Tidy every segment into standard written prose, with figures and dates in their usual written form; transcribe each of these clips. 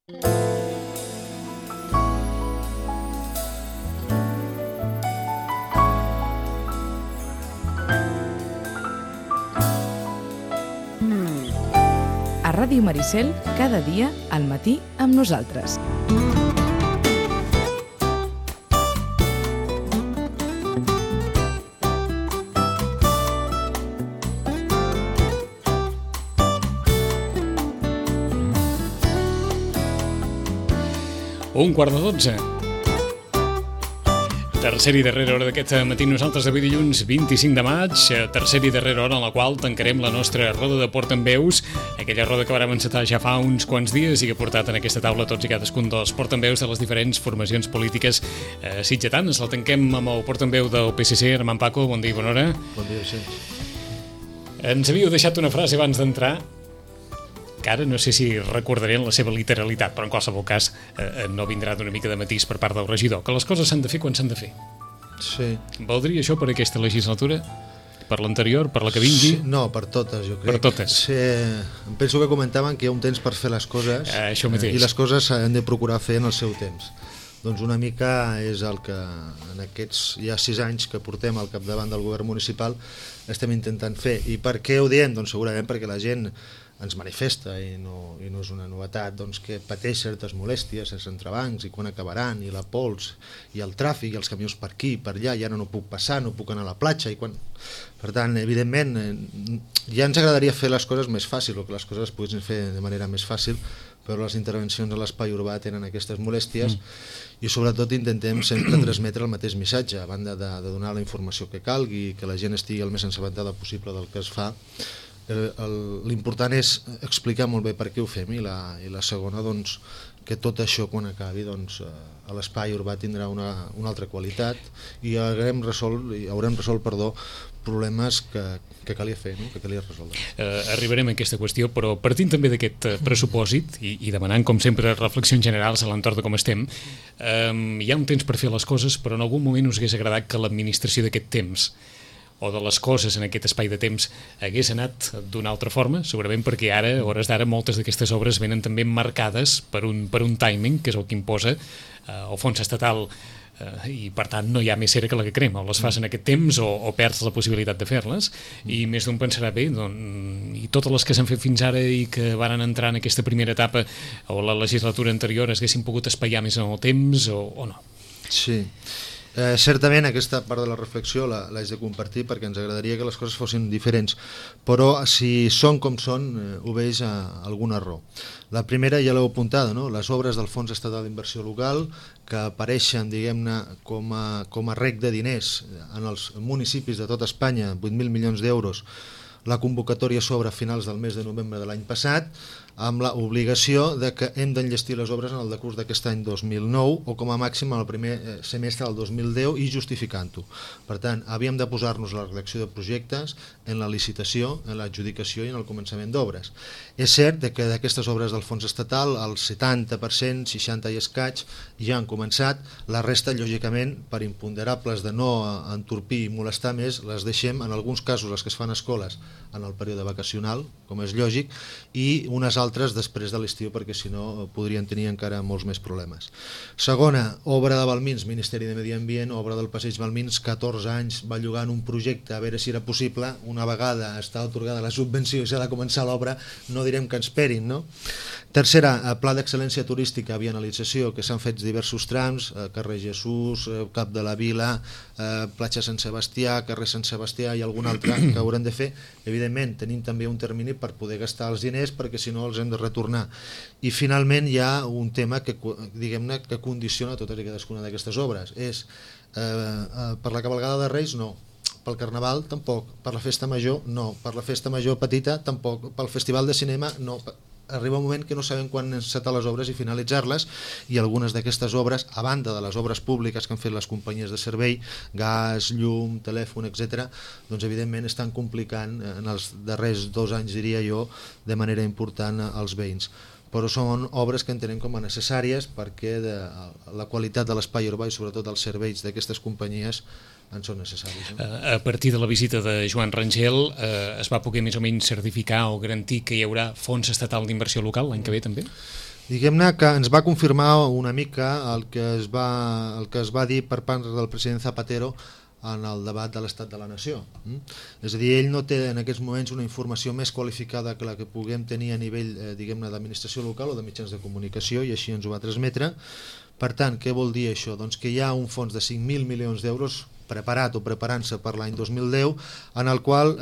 A Ràdio Maricel, cada dia, al matí, amb nosaltres. Un quart de 12. Tercera i darrera hora d'aquest matí nosaltres d'avui dilluns 25 de maig, tercera i darrera hora en la qual tancarem la nostra roda de portaveus, aquella roda que vàrem encetar ja fa uns quants dies i que ha portat en aquesta taula tots i cadascun dels portaveus de les diferents formacions polítiques sitgetanes. La tanquem amb el portaveu del PSC, Armand Paco. Bon dia i bona hora. Bon dia, sí. Ens havíeu deixat una frase abans d'entrar, que ara no sé si recordarem la seva literalitat, però en qualsevol cas no vindrà d'una mica de matís per part del regidor, que les coses s'han de fer quan s'han de fer. Sí. Valdria això per aquesta legislatura? Per l'anterior? Per la que vingui? Sí, no, per totes, jo crec. Per totes. Sí, penso que comentaven que hi ha un temps per fer les coses això mateix. I les coses s'han de procurar fer en el seu temps. Doncs una mica és el que en aquests ja 6 anys que portem al capdavant del govern municipal estem intentant fer. I per què ho diem? Doncs segurament perquè la gent ens manifesta i no és una novetat, doncs, que pateix certes molèsties, els entrebancs i quan acabaran, i la pols i el tràfic i els camions per aquí, per allà, i ara no puc passar, no puc anar a la platja i quan... Per tant, evidentment, ja ens agradaria fer les coses més fàcil, o que les coses es poguessin fer de manera més fàcil, però les intervencions a l'espai urbà tenen aquestes molèsties i sobretot intentem sempre transmetre el mateix missatge, a banda de donar la informació que calgui, que la gent estigui el més assabentada possible del que es fa. L'important és explicar molt bé per què ho fem i la segona, doncs, que tot això quan acabi, doncs, a l'espai urbà tindrà una altra qualitat i haurem resolt problemes que calia fer, no? Que calia resoldre. Arribarem a aquesta qüestió, però partint també d'aquest pressupòsit i demanant, com sempre, reflexions generals a l'entorn de com estem, hi ha un temps per fer les coses, però en algun moment us hagués agradat que l'administració d'aquest temps o de les coses en aquest espai de temps hagués anat d'una altra forma, segurament perquè ara, a hores d'ara, moltes d'aquestes obres venen també marcades per un timing, que és el que imposa el fons estatal, i per tant no hi ha més cera que la que crema, o les fas en aquest temps o perds la possibilitat de fer-les, i més d'un pensarà bé, doncs, i totes les que s'han fet fins ara i que varen entrar en aquesta primera etapa o la legislatura anterior es haguessin pogut espaiar més en el temps o no? Sí. Certament aquesta part de la reflexió l'haig de compartir perquè ens agradaria que les coses fossin diferents, però si són com són obeix a algun error. La primera ja l'heu apuntada, no? Les obres del Fons Estatal d'Inversió Local que apareixen, diguem-ne, com a rec de diners en els municipis de tot Espanya, 8.000 milions d'euros. La convocatòria s'obre a finals del mes de novembre de l'any passat, amb l'obligació de que hem d'enllestir les obres en el decurs d'aquest any 2009 o com a màxim en el primer semestre del 2010 i justificant-ho. Per tant, havíem de posar-nos a la redacció de projectes, en la licitació, en l'adjudicació i en el començament d'obres. És cert que d'aquestes obres del fons estatal el 70%, 60 i escaig ja han començat, la resta, lògicament, per imponderables de no entorpir i molestar més, les deixem, en alguns casos les que es fan a escoles, en el període vacacional, com és lògic, i unes altres després de l'estiu, perquè si no podrien tenir encara molts més problemes. Segona, obra de Balmins, Ministeri de Medi Ambient, obra del Passeig Balmins, 14 anys bellugant un projecte a veure si era possible, una vegada està atorgada la subvenció i s'ha de començar l'obra, no direm que ens esperin, no? Tercera, Pla d'Excel·lència Turística, vianalització, que s'han fet diversos trams, carrer Jesús, Cap de la Vila, platja Sant Sebastià, carrer Sant Sebastià i algun altre que haurem de fer. Evidentment, tenim també un termini per poder gastar els diners, perquè si no els hem de retornar. I finalment hi ha un tema que, diguem-ne, que condiciona totes i cadascuna d'aquestes obres. És, per la cavalgada de Reis, no. Pel Carnaval, tampoc. Per la Festa Major, no. Per la Festa Major petita, tampoc. Pel Festival de Cinema, no. Arriba un moment que no sabem quan encetar les obres i finalitzar-les, i algunes d'aquestes obres, a banda de les obres públiques que han fet les companyies de servei, gas, llum, telèfon, etc., doncs evidentment estan complicant en els darrers 2 anys, diria jo, de manera important als veïns. Però són obres que entenem com a necessàries perquè la qualitat de l'espai urbà i sobretot els serveis d'aquestes companyies en són necessaris. A partir de la visita de Joan Rangel es va poder més o menys certificar o garantir que hi haurà fons estatal d'inversió local l'any que ve també? Diguem-ne que ens va confirmar una mica el que es va dir per part del president Zapatero en el debat de l'estat de la nació. És a dir, ell no té en aquests moments una informació més qualificada que la que puguem tenir a nivell diguem-ne d'administració local o de mitjans de comunicació, i així ens ho va transmetre. Per tant, què vol dir això? Doncs que hi ha un fons de 5.000 milions d'euros preparat o preparant-se per l'any 2010 en el qual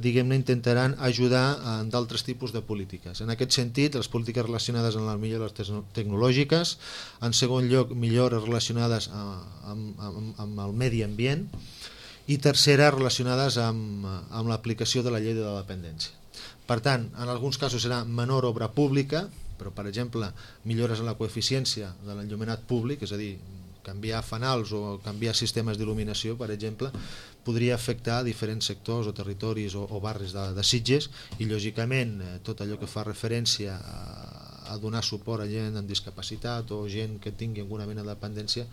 diguem-ne intentaran ajudar en d'altres tipus de polítiques. En aquest sentit, les polítiques relacionades amb les millores tecnològiques, en segon lloc, millores relacionades amb el medi ambient, i tercera, relacionades amb l'aplicació de la llei de la dependència. Per tant, en alguns casos serà menor obra pública, però per exemple millores en la coeficiència de l'enllumenat públic, és a dir, canviar fanals o canviar sistemes d'il·luminació, per exemple, podria afectar diferents sectors o territoris o barris de Sitges, i lògicament tot allò que fa referència a donar suport a gent amb discapacitat o gent que tingui alguna mena de dependència,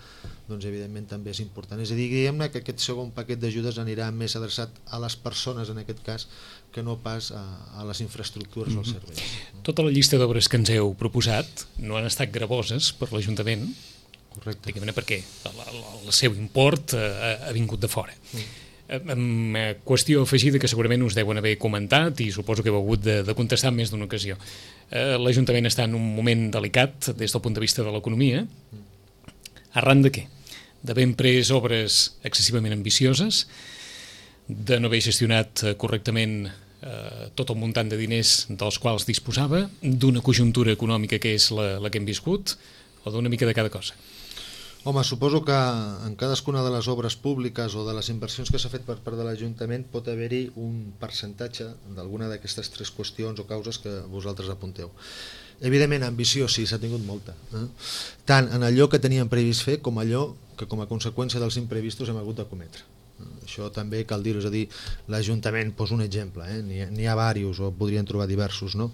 doncs evidentment també és important. És a dir, diguem-ne que aquest segon paquet d'ajudes anirà més adreçat a les persones en aquest cas que no pas a les infraestructures o als serveis. Tota la llista d'obres que ens heu proposat no han estat gravoses per l'Ajuntament. Correcte. Diguem-ne perquè el seu import ha vingut de fora. Amb qüestió afegida que segurament us deuen haver comentat i suposo que heu hagut de contestar en més d'una ocasió. L'Ajuntament està en un moment delicat des del punt de vista de l'economia. Arran de què? D'haver pres obres excessivament ambicioses, de no haver gestionat correctament tot el muntant de diners dels quals disposava, d'una conjuntura econòmica que és la que hem viscut, o d'una mica de cada cosa? Home, suposo que en cadascuna de les obres públiques o de les inversions que s'ha fet per part de l'Ajuntament pot haver-hi un percentatge d'alguna d'aquestes tres qüestions o causes que vosaltres apunteu. Evidentment, ambició sí, s'ha tingut molta. Tant en allò que teníem previst fer com allò que com a conseqüència dels imprevistos hem hagut de cometre. Això també cal dir-ho, és a dir, l'Ajuntament, poso un exemple, n'hi ha diversos o podrien trobar diversos, no?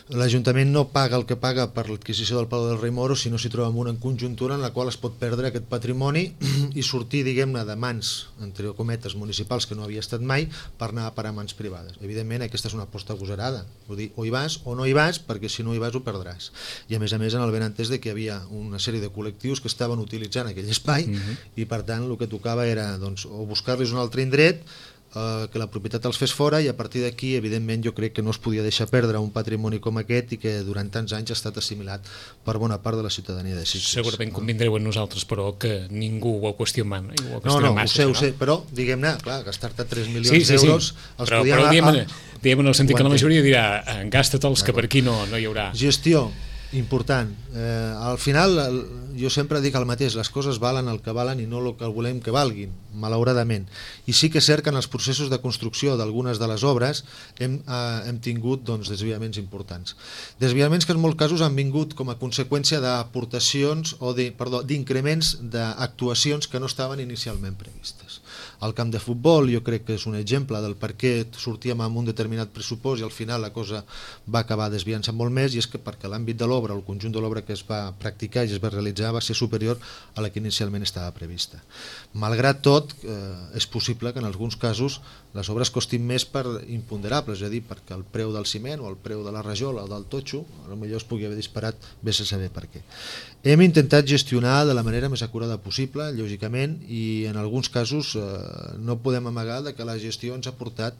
L'Ajuntament no paga el que paga per l'adquisició del Palau del Rei Moro si no s'hi troba en una conjuntura en la qual es pot perdre aquest patrimoni i sortir, diguem-ne, de mans, entre cometes, municipals, que no havia estat mai, per anar a parar a mans privades. Evidentment, aquesta és una aposta agosarada. Vull dir, o hi vas o no hi vas, perquè si no hi vas ho perdràs. I a més, en el benentès de que hi havia una sèrie de col·lectius que estaven utilitzant aquell espai i per tant el que tocava era doncs, o buscar-los un altre indret, que la propietat els fes fora, i a partir d'aquí evidentment jo crec que no es podia deixar perdre un patrimoni com aquest i que durant tants anys ha estat assimilat per bona part de la ciutadania de Sitges. Segurament convindreu en nosaltres, però que ningú ho ha qüestionat. No, ho sé, però diguem-ne, clar, gastar-te 3 milions d'euros els podíem... Però diguem en el sentit que la majoria dirà gasta-te'ls, que per aquí no hi haurà. Gestió, important. Al final jo sempre dic el mateix, les coses valen el que valen i no el que volem que valguin, malauradament. I sí que és cert que en els processos de construcció d'algunes de les obres hem tingut desviaments importants. Desviaments que en molts casos han vingut com a conseqüència d'aportacions o d'increments d'actuacions que no estaven inicialment previstes. El camp de futbol jo crec que és un exemple del per què sortíem amb un determinat pressupost i al final la cosa va acabar desviant-se molt més, i és que perquè l'àmbit de l'obra, el conjunt de l'obra que es va practicar i es va realitzar va ser superior a la que inicialment estava prevista. Malgrat tot, és possible que en alguns casos les obres costin més per imponderables, és a dir, perquè el preu del ciment o el preu de la rajola o del totxo potser es pugui haver disparat, vés a saber per què. Hem intentat gestionar de la manera més acurada possible, lògicament, i en alguns casos no podem amagar que la gestió ens ha portat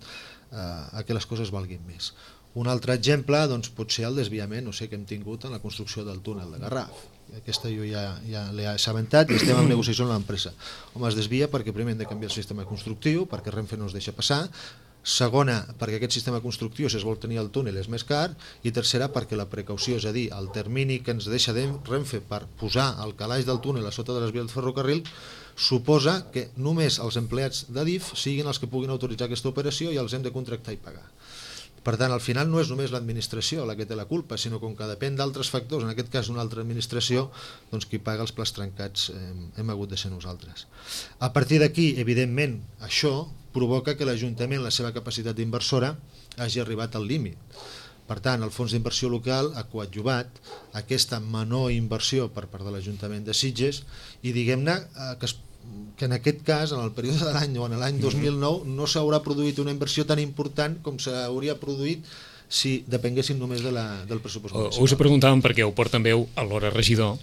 a que les coses valguin més. Un altre exemple pot ser el desviament que hem tingut en la construcció del túnel de Garraf. Aquesta jo ja l'he assabentat i estem en negociació amb l'empresa. Home, es desvia perquè primer hem de canviar el sistema constructiu, perquè Renfe no es deixa passar, segona, perquè aquest sistema constructiu, si es vol tenir el túnel, és més car, i tercera, perquè la precaució, és a dir, el termini que ens deixa Renfe per posar el calaix del túnel a sota de les vies del ferrocarril suposa que només els empleats d'Adif siguin els que puguin autoritzar aquesta operació i els hem de contractar i pagar. Per tant, al final no és només l'administració la que té la culpa, sinó com que depèn d'altres factors, en aquest cas d'una altra administració, qui paga els plats trencats hem hagut de ser nosaltres. A partir d'aquí, evidentment, això provoca que l'Ajuntament, la seva capacitat d'inversora, hagi arribat al límit. Per tant, el Fons d'Inversió Local ha coadjuvat aquesta menor inversió per part de l'Ajuntament de Sitges i diguem-ne que en aquest cas, en el període de l'any o en l'any 2009, no s'haurà produït una inversió tan important com s'hauria produït si depenguessin només del pressupost municipal. Us ho preguntàvem perquè ho porta també alhora regidor.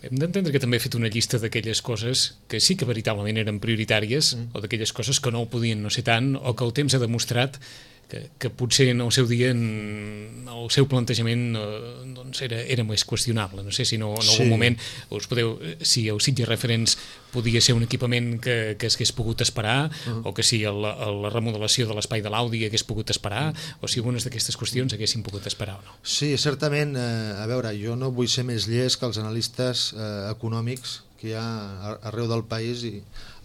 Hem d'entendre que també ha fet una llista d'aquelles coses que sí que veritablement eren prioritàries o d'aquelles coses que no ho podien no ser tant o que el temps ha demostrat que potser en el seu dia el seu plantejament doncs era més qüestionable. No sé si en algun moment si el Sitges Referents podia ser un equipament que s'hagués pogut esperar o que si la remodelació de l'espai de l'Audi hagués pogut esperar o si algunes d'aquestes qüestions haguessin pogut esperar o no. Sí, certament. A veure, jo no vull ser més llest que els analistes econòmics que hi ha arreu del país i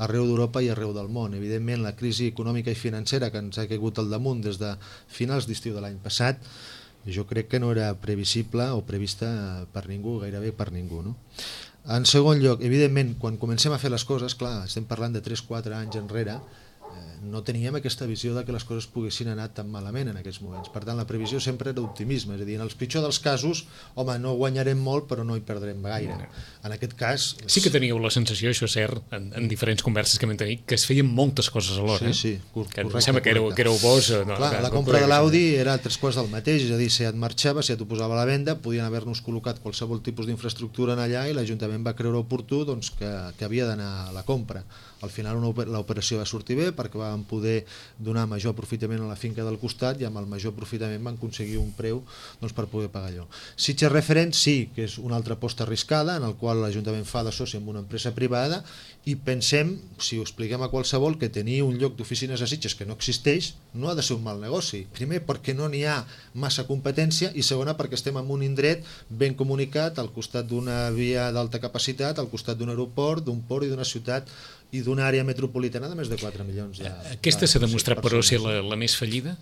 arreu d'Europa i arreu del món. Evidentment, la crisi econòmica i financera que ens ha caigut al damunt des de finals d'estiu de l'any passat, jo crec que no era previsible o prevista per ningú, gairebé per ningú, no? En segon lloc, evidentment, quan comencem a fer les coses, clar, estem parlant de 3-4 anys enrere, no teníem aquesta visió de que les coses poguessin anar tan malament en aquests moments. Per tant, la previsió sempre era optimisme, és a dir, en els pitjors dels casos, home, no guanyarem molt, però no hi perdrem gaire. En aquest cas... Sí que teníeu la sensació, això és cert, en diferents converses que vam tenir, que es feien moltes coses alhora. Sí, correcte. Em sembla que éreu vos... Clar, la compra de l'Audi era 3/4 del mateix, és a dir, si et marxava, si et ho posava a la venda, podien haver-nos col·locat qualsevol tipus d'infraestructura en allà i l'Ajuntament va creure oportú que havia d'anar a la compra. Al final l'operació va sortir bé perquè vam poder donar major aprofitament a la finca del costat i amb el major aprofitament van aconseguir un preu per poder pagar allò. Sitges Referents sí que és una altra aposta arriscada en el qual l'Ajuntament fa de soci amb una empresa privada i pensem, si ho expliquem a qualsevol, que tenir un lloc d'oficines a Sitges que no existeix no ha de ser un mal negoci. Primer perquè no n'hi ha massa competència i segona perquè estem en un indret ben comunicat al costat d'una via d'alta capacitat, al costat d'un aeroport, d'un port i d'una ciutat i d'una àrea metropolitana de més de 4 milions. Aquesta s'ha demostrat, però, ser la més fallida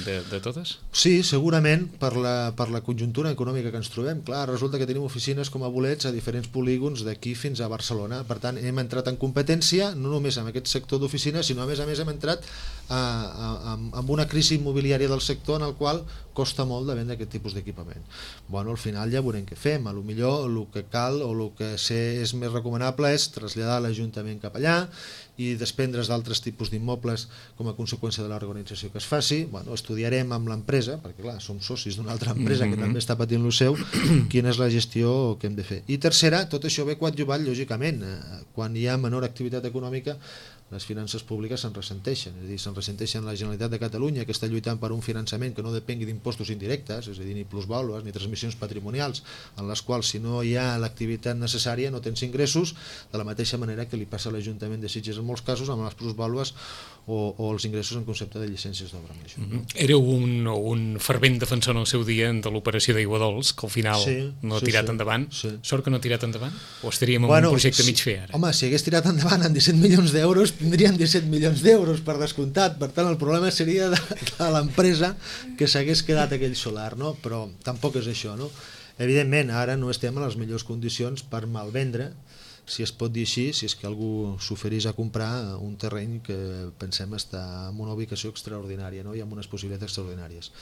de totes? Sí, segurament per la conjuntura econòmica que ens trobem. Clar, resulta que tenim oficines com a bolets a diferents polígons d'aquí fins a Barcelona. Per tant, hem entrat en competència no només en aquest sector d'oficines, sinó a més hem entrat amb una crisi immobiliària del sector en el qual costa molt de vendre aquest tipus d'equipament. Bueno, al final ja veurem què fem. A lo millor el que cal o el que és més recomanable és traslladar l'Ajuntament cap allà i desprendre's d'altres tipus d'immobles com a conseqüència de la reorganització que es faci. Bueno, estudiarem amb l'empresa, perquè clar, som socis d'una altra empresa que també està patint lo seu, quina és la gestió que hem de fer. I tercera, tot això ve coadjuvat, lògicament. Quan hi ha menor activitat econòmica, les finances públiques se'n ressenteixen, és a dir, se'n ressenteixen la Generalitat de Catalunya, que està lluitant per un finançament que no depengui d'impostos indirectes, és a dir, ni plusvàlues ni transmissions patrimonials, en les quals si no hi ha l'activitat necessària no tens ingressos, de la mateixa manera que li passa a l'Ajuntament de Sitges en molts casos amb les plusvàlues o els ingressos en concepte de llicències d'obra major. Éreu un fervent defensor en el seu dia de l'operació d'Aigua Dols, que al final no ha tirat endavant. Sort que no ha tirat endavant? O estaríem en un projecte mig fer ara? Home, si hagués tirat endavant en 17 milions d'euros, tindrien 17 milions d'euros per descomptat. Per tant, el problema seria de l'empresa que s'hagués quedat aquell solar, no? Però tampoc és això, no? Evidentment, ara no estem en les millors condicions per malvendre, si es pot dir així, si és que algú s'oferís a comprar un terreny que pensem està en una ubicació extraordinària, no? I amb unes possibilitats extraordinàries.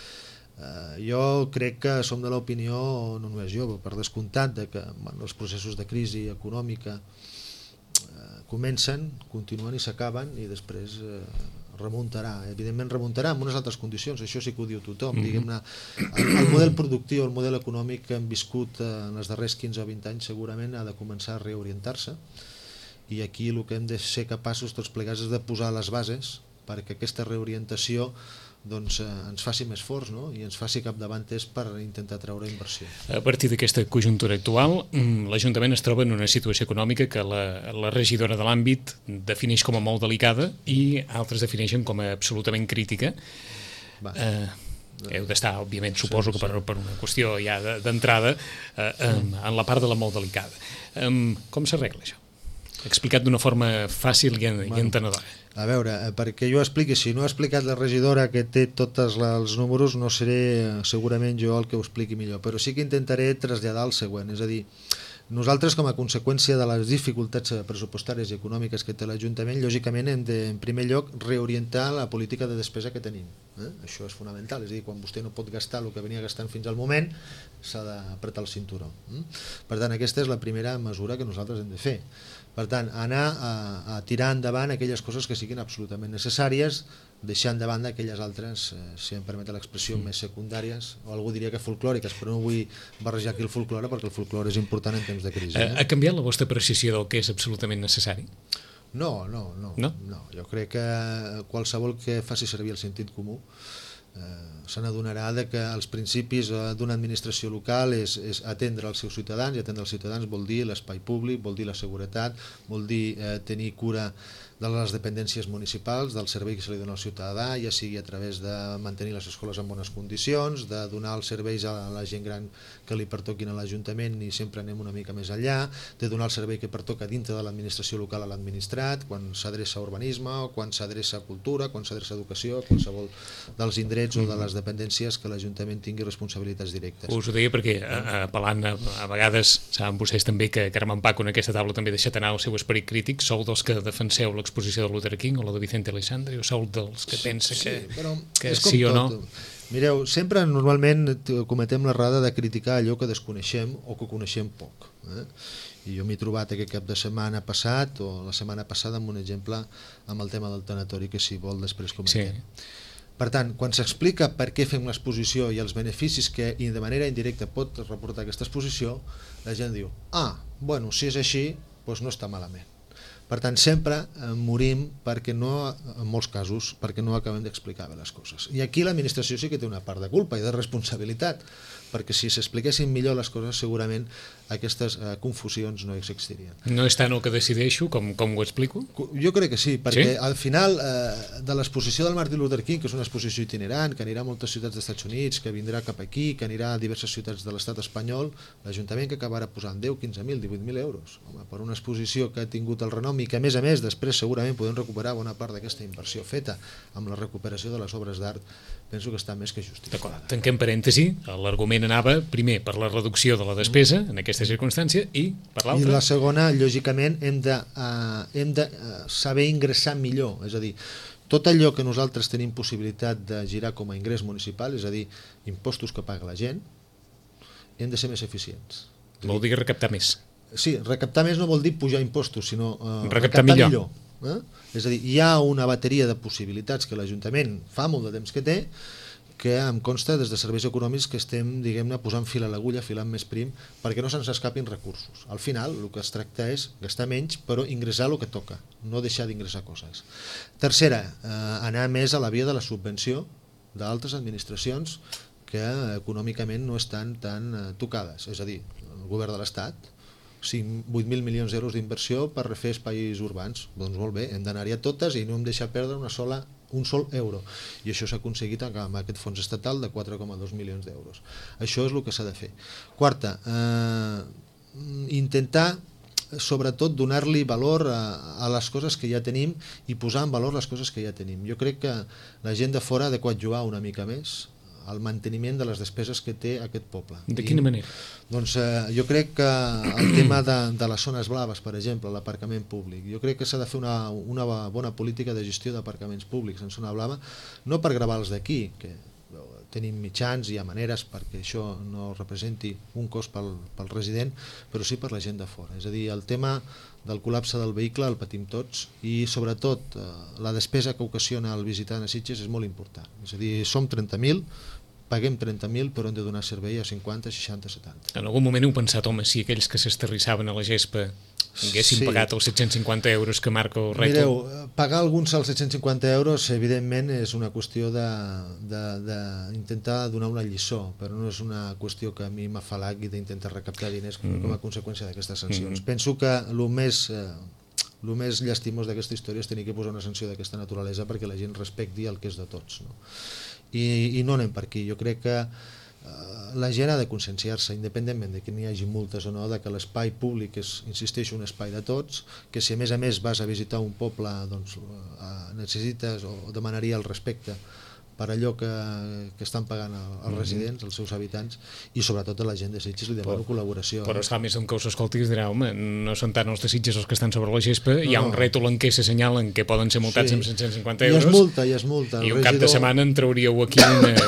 Jo crec que som de l'opinió, no només jo, però per descomptat, que els processos de crisi econòmica comencen, continuen i s'acaben i després remuntarà. Evidentment remuntarà amb unes altres condicions, això sí que ho diu tothom. Diguem-ne, el model productiu, el model econòmic que hem viscut en els darrers 15 o 20 anys segurament ha de començar a reorientar-se i aquí el que hem de ser capaços tots plegats és de posar les bases perquè aquesta reorientació doncs ens faci més forts, no? I ens faci capdavanters per intentar treure inversió. A partir d'aquesta conjuntura actual, l'Ajuntament es troba en una situació econòmica que la regidora de l'àmbit defineix com a molt delicada i altres defineixen com a absolutament crítica. Heu d'estar, òbviament, suposo que per una qüestió ja d'entrada, en la part de la molt delicada. Com s'arregla això? Explicat d'una forma fàcil i entenedora. A veure, perquè jo expliqui, si no ha explicat la regidora que té tots els números, no seré segurament jo el que ho expliqui millor, però sí que intentaré traslladar el següent, és a dir, nosaltres com a conseqüència de les dificultats pressupostàries i econòmiques que té l'Ajuntament, lògicament hem de, en primer lloc, reorientar la política de despesa que tenim. Això és fonamental, és a dir, quan vostè no pot gastar el que venia gastant fins al moment, s'ha d'apretar el cinturó. Per tant, aquesta és la primera mesura que nosaltres hem de fer. Per tant, anar a tirar endavant aquelles coses que siguin absolutament necessàries, deixant de banda aquelles altres, si em permet l'expressió, més secundàries, o algú diria que folclòriques, però no vull barrejar aquí el folclore perquè el folclore és important en temps de crisi. Ha canviat la vostra apreciació del que és absolutament necessari? No. Jo crec que qualsevol que faci servir el sentit comú se n'adonarà que els principis d'una administració local és atendre els seus ciutadans, i atendre els ciutadans vol dir l'espai públic, vol dir la seguretat, vol dir tenir cura de les dependències municipals, del servei que se li dona al ciutadà, ja sigui a través de mantenir les escoles en bones condicions, de donar els serveis a la gent gran que li pertoquin a l'Ajuntament, i sempre anem una mica més enllà, de donar el servei que pertoca dintre de l'administració local a l'administrat, quan s'adreça a urbanisme, o quan s'adreça a cultura, quan s'adreça a educació, qualsevol dels indrets o de les dependències que l'Ajuntament tingui responsabilitats directes. Us ho deia perquè, apel·lant a vegades, saben vostès també que Carme Paco en aquesta taula també ha deixat anar el seu esperit crític, sou dels que defenseu l'exposició de Luther King o la de Vicente Aleixandre, o sou dels que pensa que sí o no? Mireu, sempre normalment cometem l'errada de criticar allò que desconeixem o que coneixem poc. I jo m'he trobat aquest cap de setmana passat o la setmana passada amb un exemple amb el tema del tanatori, que si vol després comentem. Per tant, quan s'explica per què fem l'exposició i els beneficis que de manera indirecta pot reportar aquesta exposició, la gent diu, bueno, si és així, doncs no està malament. Per tant, sempre morim perquè no, en molts casos, perquè no acabem d'explicar bé les coses. I aquí l'administració sí que té una part de culpa i de responsabilitat, perquè si s'expliquessin millor les coses segurament aquestes confusions no existirien. No és tant el que decideixo com ho explico? Jo crec que sí, perquè al final de l'exposició del Martin Luther King, que és una exposició itinerant, que anirà a moltes ciutats dels Estats Units, que vindrà cap aquí, que anirà a diverses ciutats de l'estat espanyol, l'Ajuntament que acabarà posant 10, 15.000, 18.000 euros per una exposició que ha tingut el renom i que a més després segurament podem recuperar bona part d'aquesta inversió feta amb la recuperació de les obres d'art, penso que està més que justificada. Tanquem parèntesi, l'argument anava primer per la reducció de la despesa en aquesta circumstància i per l'altra. I la segona, lògicament, hem de saber ingressar millor, és a dir, tot allò que nosaltres tenim possibilitat de girar com a ingrés municipal, és a dir, impostos que paga la gent, hem de ser més eficients. Vol dir recaptar més. Sí, recaptar més no vol dir pujar impostos, sinó recaptar millor. És a dir, hi ha una bateria de possibilitats que l'Ajuntament fa molt de temps que té, que em consta des de serveis econòmics que estem, diguem-ne, posant fil a l'agulla, filant més prim, perquè no se'ns escapin recursos. Al final, el que es tracta és gastar menys, però ingressar el que toca, no deixar d'ingressar coses. Tercera, anar més a la via de la subvenció d'altres administracions que econòmicament no estan tan tocades, és a dir, el govern de l'Estat, 8.000 milions d'euros d'inversió per refer espais urbans. Doncs molt bé, hem d'anar-hi a totes i no hem deixat perdre un sol euro. I això s'ha aconseguit amb aquest fons estatal de 4,2 milions d'euros. Això és el que s'ha de fer. Quarta, intentar sobretot donar-li valor a les coses que ja tenim i posar en valor les coses que ja tenim. Jo crec que la gent de fora ha de coadjuvar una mica més el manteniment de les despeses que té aquest poble. De quina manera? Doncs jo crec que el tema de les zones blaves, per exemple, l'aparcament públic, jo crec que s'ha de fer una bona política de gestió d'aparcaments públics en zona blava, no per gravar-los d'aquí, que tenim mitjans i hi ha maneres perquè això no representi un cost pel resident, però sí per la gent de fora. És a dir, el tema del col·lapse del vehicle el patim tots i sobretot la despesa que ocasiona el visitant a Sitges és molt important. És a dir, som 30.000, paguem 30.000 però hem de donar servei a 50, 60, 70. En algun moment heu pensat, home, si aquells que s'esterrissaven a la gespa haguessin pagat els 750 euros que marca el rètol? Mireu, pagar alguns als 750 euros evidentment és una qüestió d'intentar donar una lliçó, però no és una qüestió que a mi m'afalagui d'intentar recaptar diners com a conseqüència d'aquestes sancions. Penso que el més llastimós d'aquesta història és tenir que posar una sanció d'aquesta naturalesa perquè la gent respecti el que és de tots, no? I no anem per aquí. Jo crec que la gent ha de conscienciar-se, independentment de que n'hi hagi multes o no, de que l'espai públic és, insisteixo, un espai de tots, que si a més vas a visitar un poble doncs necessites o demanaria el respecte per allò que estan pagant els residents, els seus habitants, i sobretot a la gent de Sitges li demano col·laboració. Però esclar, més d'un que us escolti us dirà, home, no són tant els de Sitges els que estan sobre la gespa, hi ha un rètol en què s'assenyalen que poden ser multats amb 150 euros. I és multa. I un cap de setmana en trauríeu aquí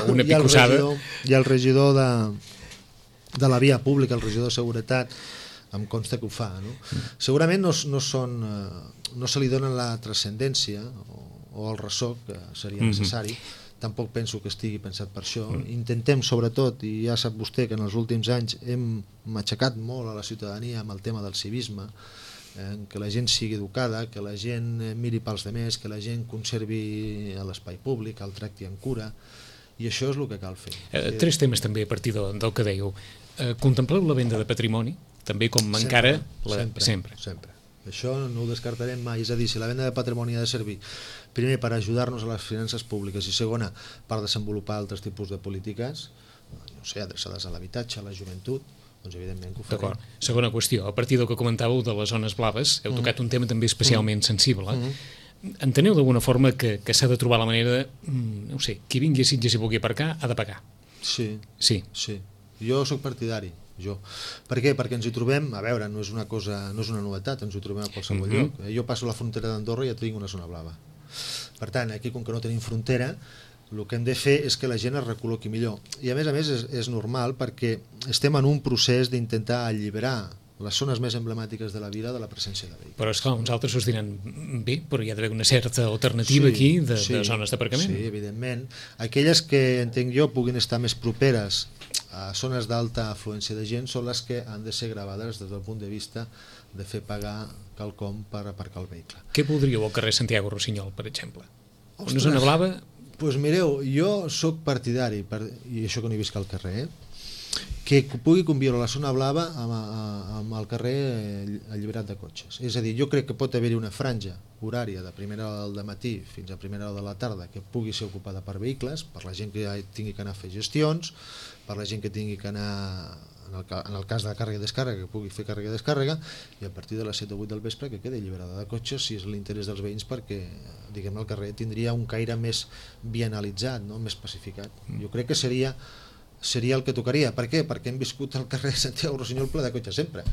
una picossada. I el regidor de la via pública, el regidor de seguretat, em consta que ho fa, no? Segurament no se li dona la transcendència o el ressò que seria necessari. Tampoc penso que estigui pensat per això. Intentem, sobretot, i ja sap vostè que en els últims anys hem matxacat molt a la ciutadania amb el tema del civisme, que la gent sigui educada, que la gent miri pels demés, que la gent conservi l'espai públic, el tracti amb cura, i això és el que cal fer. Tres temes també a partir del que dèieu. Contempleu la venda de patrimoni, també com encara... Sempre. Això no ho descartarem mai, és a dir, si la venda de patrimoni ha de servir primer per ajudar-nos a les finances públiques i segona per desenvolupar altres tipus de polítiques, no sé, adreçades a l'habitatge, a la joventut, doncs evidentment que ho farem. D'acord. Segona qüestió, a partir del que comentàveu de les zones blaves, heu tocat un tema també especialment sensible. Enteneu d'alguna forma que s'ha de trobar la manera de, no sé, qui vingui a Sitges i vulgui aparcar ha de pagar? Sí. Jo sóc partidari. Per què? Perquè ens hi trobem, a veure, no és una novetat, ens hi trobem a qualsevol lloc. Jo passo la frontera d'Andorra i ja tinc una zona blava. Per tant, aquí, com que no tenim frontera, el que hem de fer és que la gent es recol·loqui millor. I a més és normal perquè estem en un procés d'intentar alliberar les zones més emblemàtiques de la vila de la presència de vehicles. Però esclar, uns altres us diran, bé, però hi ha d'haver una certa alternativa aquí de zones d'aparcament. Sí, evidentment. Aquelles que, entenc jo, puguin estar més properes a zones d'alta afluència de gent són les que han de ser gravades des del punt de vista de fer pagar quelcom per aparcar el vehicle. Què voldríeu al carrer Santiago Rossinyol, per exemple? Una zona blava? Doncs mireu, jo sóc partidari, i això que no hi visc al carrer, que pugui conviure la zona blava amb el carrer alliberat de cotxes. És a dir, jo crec que pot haver-hi una franja horària de primera hora del matí fins a primera hora de la tarda que pugui ser ocupada per vehicles, per la gent que tingui que anar a fer gestions, per la gent que tingui que anar, en el cas de càrrega i descàrrega, que pugui fer càrrega i descàrrega, i a partir de les 7 o 8 del vespre que quedi alliberada de cotxes, si és l'interès dels veïns, perquè diguem el carrer tindria un caire més vianalitzat, no? Més pacificat. Jo crec que seria el que tocaria. Per què? Perquè hem viscut al carrer Santiago Rossinyol ple de cotxes sempre.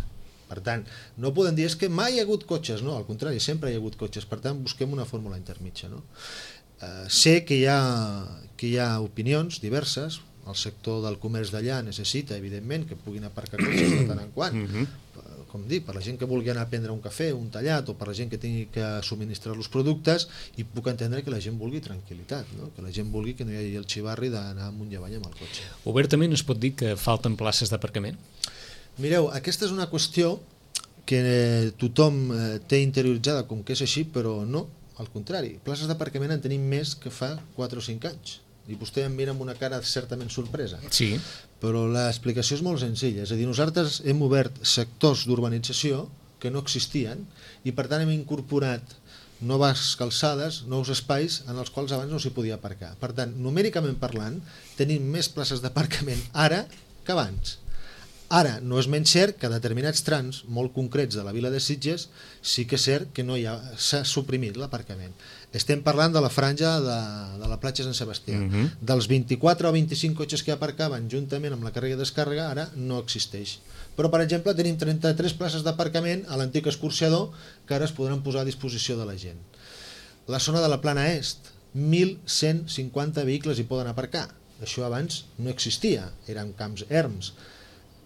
Per tant, no podem dir és que mai hi ha hagut cotxes, no, al contrari, sempre hi ha hagut cotxes. Per tant, busquem una fórmula intermitja, no? Sé que hi ha opinions diverses. El sector del comerç d'allà necessita, evidentment, que puguin aparcar cotxes de tant en quant. Com dic, per la gent que vulgui anar a prendre un cafè, un tallat, o per la gent que tingui que subministrar els productes, i puc entendre que la gent vulgui tranquil·litat, no? Que la gent vulgui que no hi hagi el xivarri d'anar amunt i avall amb el cotxe. Obertament es pot dir que falten places d'aparcament? Mireu, aquesta és una qüestió que tothom té interioritzada com que és així, però no, al contrari. Places d'aparcament en tenim més que fa 4 o 5 anys. I vostè em mira amb una cara certament sorpresa. Sí. Però l'explicació és molt senzilla. És a dir, nosaltres hem obert sectors d'urbanització que no existien i per tant hem incorporat noves calçades, nous espais en els quals abans no s'hi podia aparcar. Per tant, numèricament parlant, tenim més places d'aparcament ara que abans. Ara, no és menys cert que a determinats trams molt concrets de la vila de Sitges sí que és cert que s'ha suprimit l'aparcament. Estem parlant de la franja de la platja Sant Sebastià. Dels 24 o 25 cotxes que aparcaven juntament amb la càrrega i descàrrega ara no existeix. Però, per exemple, tenim 33 places d'aparcament a l'antic escorxador que ara es podran posar a disposició de la gent. La zona de la Plana Est, 1.150 vehicles hi poden aparcar. Això abans no existia, eren camps erms.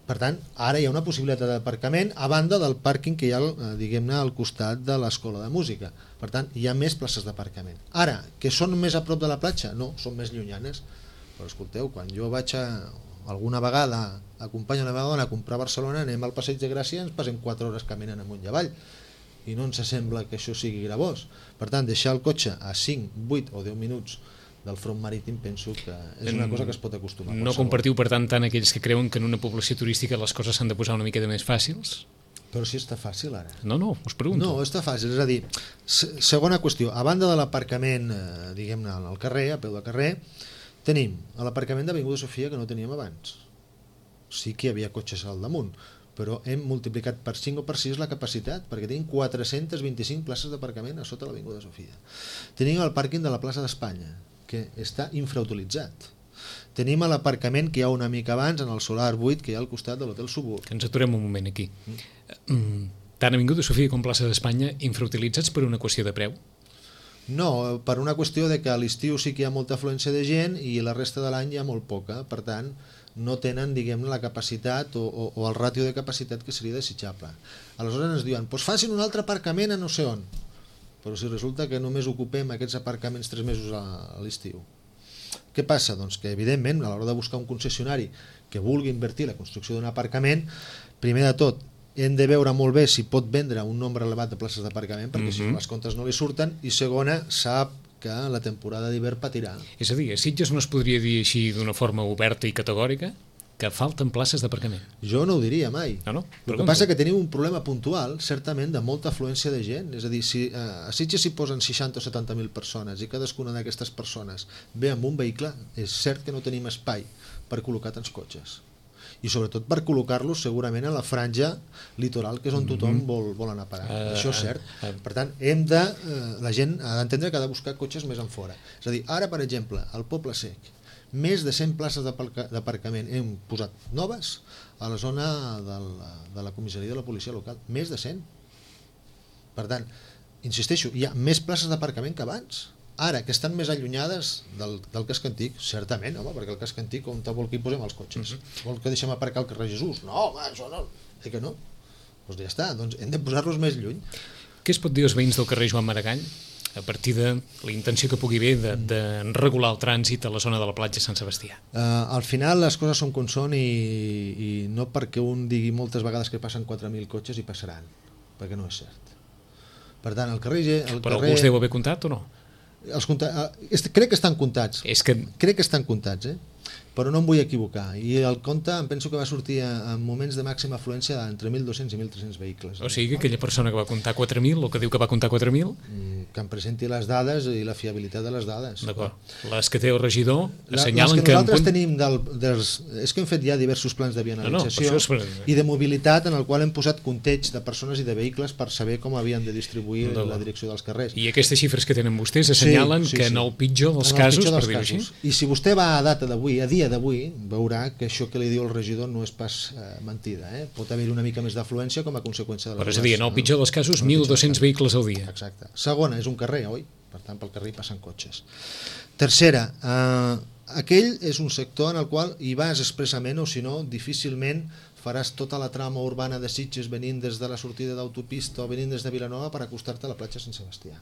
Per tant, ara hi ha una possibilitat d'aparcament a banda del pàrquing que hi ha, diguem-ne, al costat de l'escola de música. Per tant, hi ha més places d'aparcament. Ara, que són més a prop de la platja? No, són més llunyanes. Però escolteu, quan jo vaig alguna vegada acompanyo la meva dona a comprar a Barcelona, anem al Passeig de Gràcia i ens passem 4 hores caminant amunt i avall. I no ens sembla que això sigui gravós. Per tant, deixar el cotxe a 5, 8 o 10 minuts del front marítim penso que és una cosa que es pot acostumar. No compartiu, per tant, aquells que creuen que en una població turística les coses s'han de posar una mica més fàcils? Però si està fàcil ara. No, us pregunto. No, està fàcil, és a dir, segona qüestió, a banda de l'aparcament, diguem-ne, al carrer, a peu de carrer, tenim l'aparcament d'Avinguda Sofia que no teníem abans. Sí que hi havia cotxes al damunt, però hem multiplicat per 5 o per 6 la capacitat, perquè tenim 425 places d'aparcament a sota l'Avinguda Sofia. Tenim el pàrquing de la plaça d'Espanya, que està infrautilitzat. Tenim l'aparcament que hi ha una mica abans, en el solar 8, que hi ha al costat de l'Hotel Subur. Que ens aturem un moment aquí. Tant Avinguda Sofia com plaça d'Espanya infrautilitzats per una qüestió de preu? No, per una qüestió de que a l'estiu sí que hi ha molta afluència de gent i la resta de l'any hi ha molt poca, per tant no tenen, diguem, la capacitat o el ràtio de capacitat que seria desitjable. Aleshores ens diuen, doncs facin un altre aparcament a no sé on, però si resulta que només ocupem aquests aparcaments 3 mesos a l'estiu. Què passa? Doncs que evidentment a l'hora de buscar un concessionari que vulgui invertir la construcció d'un aparcament, primer de tot hem de veure molt bé si pot vendre un nombre elevat de places d'aparcament, perquè si les comptes no li surten, i segona, sap que la temporada d'hivern patirà. És a dir, a Sitges no es podria dir així d'una forma oberta i categòrica que falten places d'aparcament? Jo no ho diria mai. No? El que passa és que tenim un problema puntual, certament, de molta afluència de gent. És a dir, si a Sitges s'hi posen 60 o 70.000 persones i cadascuna d'aquestes persones ve amb un vehicle, és cert que no tenim espai per col·locar tants cotxes. I sobretot per col·locar-los segurament a la franja litoral, que és on tothom vol anar a parar. Això és cert. Per tant, la gent ha d'entendre que ha de buscar cotxes més enfora. És a dir, ara, per exemple, al Poble Sec, més de 100 places d'aparcament hem posat noves a la zona de la comissaria de la policia local. Més de 100. Per tant, insisteixo, hi ha més places d'aparcament que abans. Ara, que estan més allunyades del casc antic, certament, home, perquè el casc antic on vol que hi posem els cotxes? Vol que deixem aparcar al carrer Jesús? No, home, això no. Que no? Doncs ja està, doncs hem de posar-los més lluny. Què es pot dir als veïns del carrer Joan Maragall a partir de la intenció que pugui haver de regular el trànsit a la zona de la platja Sant Sebastià? Al final les coses són com són i no perquè un digui moltes vegades que passen 4.000 cotxes i passaran, perquè no és cert. Per tant, el carrer... Però algú us deu haver comptat o no? Crec que estan comptats. Crec que estan comptats, però no em vull equivocar. I el compte em penso que va sortir en moments de màxima afluència entre 1.200 i 1.300 vehicles. O sigui que aquella persona que va comptar 4.000 o que diu que va comptar 4.000... Que em presenti les dades i la fiabilitat de les dades. D'acord. Les que té el regidor assenyalen que nosaltres tenim és que hem fet ja diversos plans de vianalització i de mobilitat en el qual hem posat compteig de persones i de vehicles per saber com havien de distribuir la direcció dels carrers. I aquestes xifres que tenen vostès assenyalen que en el pitjor dels casos, per dir-ho així. I si vostè va a data d'avui, a dia d'avui, veurà que això que li diu el regidor no és pas mentida. Pot haver-hi una mica més d'afluència com a conseqüència de les... Però és a dir, en el pitjor dels casos, 1.200 vehicles al dia. Exacte. Segona, és un carrer, oi? Per tant, pel carrer hi passen cotxes. Tercera, aquell és un sector en el qual hi vas expressament o si no, difícilment faràs tota la trama urbana de Sitges venint des de la sortida d'autopista o venint des de Vilanova per acostar-te a la platja Sant Sebastià.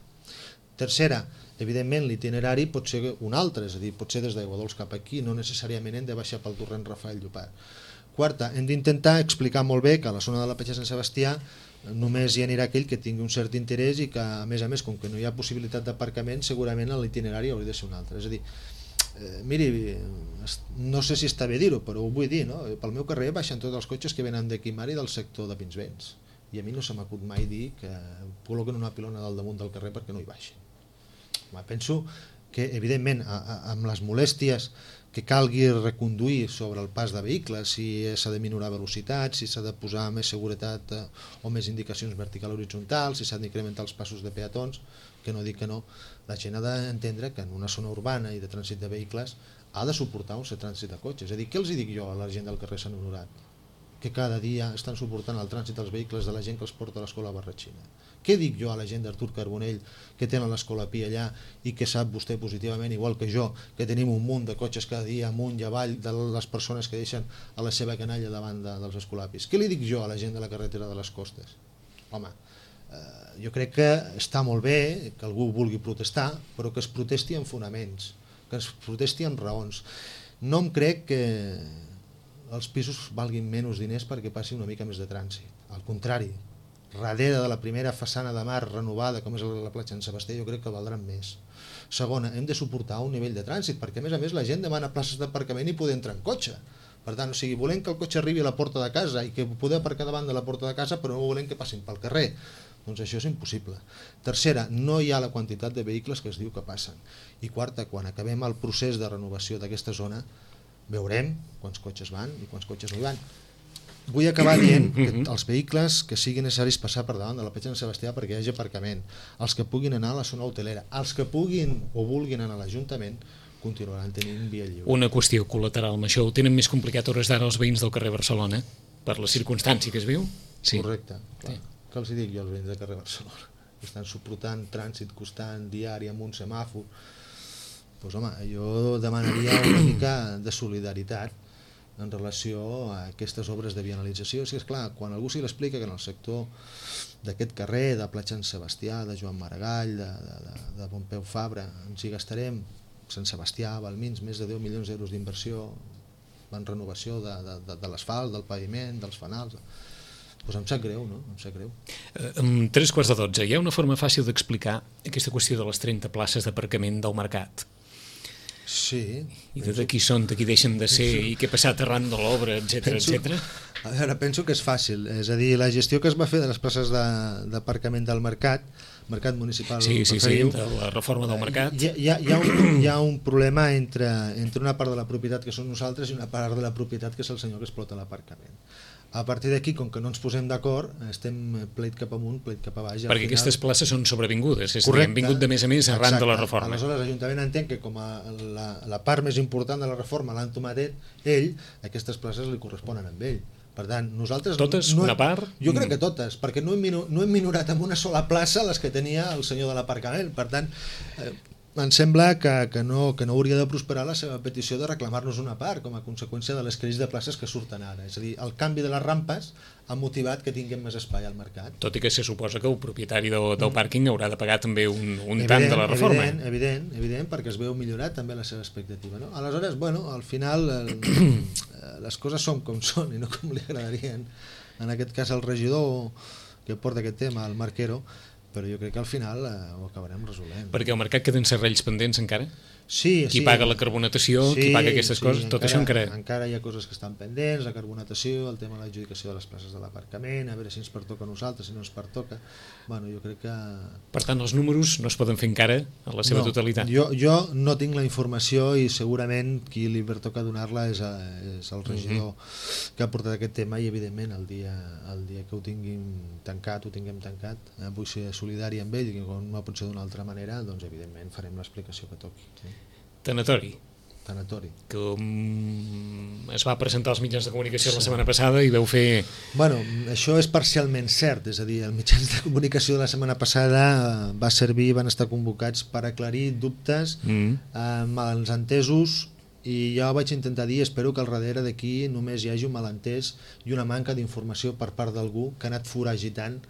Tercera, evidentment l'itinerari pot ser un altre, és a dir, pot ser des d'Aiguadols cap aquí, no necessàriament hem de baixar pel torrent Rafael Llopart. Quarta, hem d'intentar explicar molt bé que a la zona de la platja Sant Sebastià només hi anirà aquell que tingui un cert interès i que, a més, com que no hi ha possibilitat d'aparcament, segurament l'itinerari hauria de ser un altre. És a dir, miri, no sé si està bé dir-ho, però ho vull dir, no? Pel meu carrer baixen tots els cotxes que venen de Quimar i del sector de Pinsbens. I a mi no se m'acut mai dir que col·loquen una pilona dalt damunt del carrer perquè no hi baixin. Penso que, evidentment, amb les molèsties que calgui reconduir sobre el pas de vehicles, si s'ha de minorar velocitat, si s'ha de posar més seguretat o més indicacions vertical o horitzontal, si s'han d'incrementar els passos de peatons, que no dic que no, la gent ha d'entendre que en una zona urbana i de trànsit de vehicles ha de suportar un cert trànsit de cotxes. És a dir, què els dic jo a la gent del carrer Sant Honorat? Que cada dia estan suportant el trànsit dels vehicles de la gent que els porta a l'escola Barratxina. Què dic jo a la gent d'Artur Carbonell que tenen l'escola Pi allà i que sap vostè positivament, igual que jo, que tenim un munt de cotxes cada dia amunt i avall de les persones que deixen a la seva canalla davant dels escolapis? Què li dic jo a la gent de la carretera de les Costes? Home, jo crec que està molt bé que algú vulgui protestar, però que es protesti amb fonaments, que es protesti amb raons. No em crec que els pisos valguin menys diners perquè passi una mica més de trànsit. Al contrari, darrere de la primera façana de mar renovada com és la platja Sant Sebastià, jo crec que valdran més. Segona, hem de suportar un nivell de trànsit, perquè a més la gent demana places d'aparcament i poder entrar en cotxe. Per tant, volem que el cotxe arribi a la porta de casa i que poder aparcar davant de la porta de casa, però no volem que passin pel carrer. Doncs això és impossible. Tercera, no hi ha la quantitat de vehicles que es diu que passen. I quarta, quan acabem el procés de renovació d'aquesta zona, veurem quants cotxes van i quants cotxes no hi van. vull acabar dient que els vehicles que siguin necessaris passar per davant de la platja de Sant Sebastià perquè hi hagi aparcament, els que puguin anar a la zona hotelera, els que puguin o vulguin anar a l'Ajuntament continuaran tenint via lliure. Una qüestió col·lateral amb això, ho tenen més complicat a hores d'ara els veïns del carrer Barcelona per la circumstància que es viu? Sí. Correcte, clar. Què els dic jo als veïns del carrer Barcelona? Estan suportant trànsit constant, diari, amb un semàfor. Doncs home, jo demanaria una mica de solidaritat en relació a aquestes obres de vianalització. Si és clar, quan algú s'hi l'explica que en el sector d'aquest carrer, de Platja Sant Sebastià, de Joan Maragall, de Pompeu Fabra, ens hi gastarem, Sant Sebastià, Balmins, més de 10 milions d'euros d'inversió en renovació de l'asfalt, del paviment, dels fanals. Doncs em sap greu, no? Em sap greu. Amb 11:45, hi ha una forma fàcil d'explicar aquesta qüestió de les 30 places d'aparcament del mercat. Sí. I de qui són, de qui deixen de ser, i què ha passat arran de l'obra, etc. A veure, penso que és fàcil. És a dir, la gestió que es va fer de les places d'aparcament del mercat municipal, sí, de la reforma del mercat. Hi ha un problema entre una part de la propietat que són nosaltres i una part de la propietat que és el senyor que explota l'aparcament. A partir d'aquí, com que no ens posem d'acord, estem pleit cap amunt, pleit cap a baix. Perquè aquestes places són sobrevingudes, és a dir, han vingut de més a més arran de la reforma. Aleshores, l'Ajuntament entén que com a la part més important de la reforma l'han tomat ell, aquestes places li corresponen amb ell. Per tant, nosaltres... Totes? Una part? Jo crec que totes, perquè no hem minorat amb una sola plaça les que tenia el senyor de l'aparcament. Per tant, em sembla que no hauria de prosperar la seva petició de reclamar-nos una part com a conseqüència de les crisis de places que surten ara. És a dir, el canvi de les rampes ha motivat que tinguem més espai al mercat. Tot i que se suposa que el propietari del pàrquing haurà de pagar també un tant de la reforma. Evident, perquè es veu millorat també la seva expectativa. No? Aleshores, al final les coses són com són i no com li agradarien. En aquest cas el regidor que porta aquest tema, el Marquero, però jo crec que al final ho acabarem resolent. Perquè al mercat queden serrells pendents encara? Sí. Qui paga la carbonatació, qui paga aquestes coses, tot això encara... Encara hi ha coses que estan pendents, la carbonatació, el tema de l'adjudicació de les places de l'aparcament, a veure si ens pertoca a nosaltres, si no ens pertoca... jo crec que... Per tant, els números no es poden fer encara a la seva totalitat. Jo no tinc la informació i segurament qui li pertoca donar-la és el regidor que ha portat aquest tema i evidentment el dia que ho tinguem tancat, vull ser solidari amb ell i com no pot ser d'una altra manera, doncs evidentment farem l'explicació que toqui. Tanatori, que es va presentar als mitjans de comunicació la setmana passada i veu fer... Això és parcialment cert, és a dir, els mitjans de comunicació de la setmana passada van estar convocats per aclarir dubtes, malentesos, i jo vaig intentar dir, espero que al darrere d'aquí només hi hagi un malentès i una manca d'informació per part d'algú que ha anat foragitant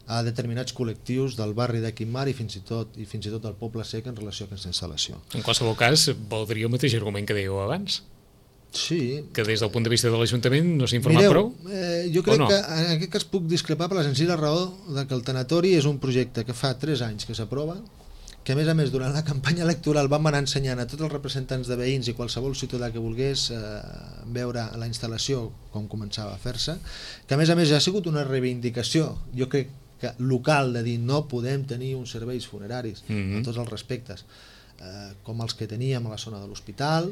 a determinats col·lectius del barri de Quimar i fins i tot del Poble Sec en relació a aquesta instal·lació. En qualsevol cas, valdria el mateix argument que dèieu abans? Sí. Que des del punt de vista de l'Ajuntament no s'ha informat prou? Jo crec que en aquest cas puc discrepar per la senzilla raó que el tanatori és un projecte que fa 3 anys que s'aprova, que a més durant la campanya electoral vam anar ensenyant a tots els representants de veïns i qualsevol ciutadà que volgués veure la instal·lació com començava a fer-se, que a més ja ha sigut una reivindicació, jo crec local, de dir no podem tenir uns serveis funeraris a tots els respectes com els que teníem a la zona de l'hospital,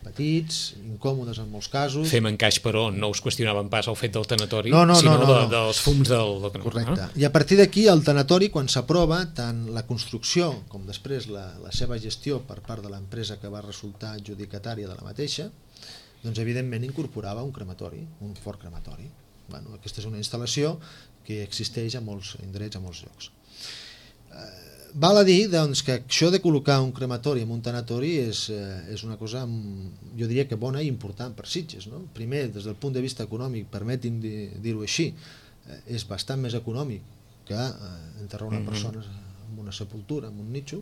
petits, incòmodes en molts casos. Fem encaix, però no us qüestionaven pas el fet del tanatori, sinó dels fums del... Correcte. I a partir d'aquí el tanatori, quan s'aprova, tant la construcció com després la seva gestió per part de l'empresa que va resultar adjudicatària de la mateixa, doncs evidentment incorporava un crematori, un forn crematori. Aquesta és una instal·lació que existeix a molts indrets, a molts llocs. Val a dir que això de col·locar un crematori en un tanatori és una cosa, jo diria que bona i important per Sitges. Primer, des del punt de vista econòmic, permetin dir-ho així, és bastant més econòmic que enterrar una persona en una sepultura, en un nitxo.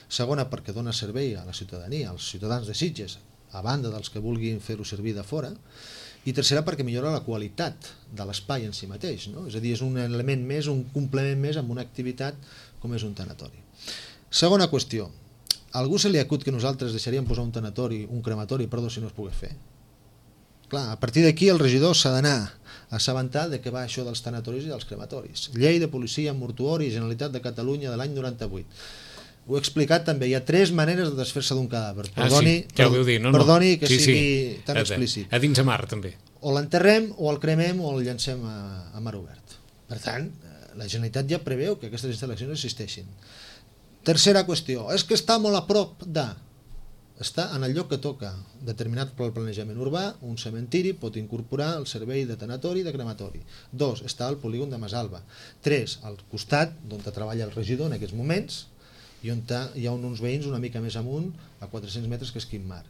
Segona, perquè dona servei a la ciutadania, als ciutadans de Sitges, a banda dels que vulguin fer-ho servir de fora. I tercera, perquè millora la qualitat de l'espai en si mateix, és a dir, és un element més, un complement més amb una activitat com és un tanatori. Segona qüestió, a algú se li acut que nosaltres deixaríem posar un crematori, si no es pogués fer. Clar, a partir d'aquí el regidor s'ha d'anar a assabentar de què va això dels tanatoris i dels crematoris. Llei de policia mortuori, Generalitat de Catalunya de l'any 98. Ho he explicat també, hi ha 3 maneres de desfer-se d'un cadàver. Perdoni que sigui tan explícit. A dins a mar també. o l'enterrem, o el cremem, o el llancem a mar obert. Per tant, la Generalitat ja preveu que aquestes instal·lacions existeixin. Tercera qüestió, és que està molt a prop de... Està en el lloc que toca, determinat pel planejament urbà, un cementiri pot incorporar el servei de tanatori i de crematori. 2, està al polígon de Masalba. 3, al costat, d'on treballa el regidor en aquests moments, i on hi ha uns veïns una mica més amunt, a 400 metres, que és Quim Mar.